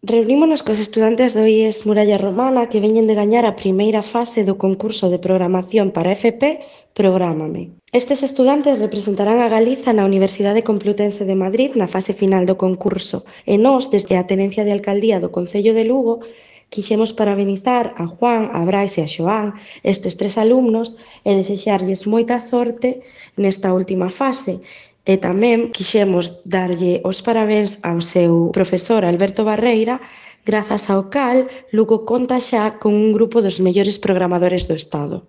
Reunímonos cos estudantes do IES Muralla Romana que veñen de gañar a primeira fase do concurso de programación para FP Prográmame. Estes estudantes representarán a Galiza na Universidade Complutense de Madrid na fase final do concurso e nós, desde a Tenencia de Alcaldía do Concello de Lugo, quixemos parabenizar a Juan, a Brais e a Xoán, estes tres alumnos, e desexarlles moita sorte nesta última fase. E tamén quixemos darlle os parabéns ao seu profesor Alberto Barreira, grazas ao cal Lugo conta xa con un grupo dos mellores programadores do Estado.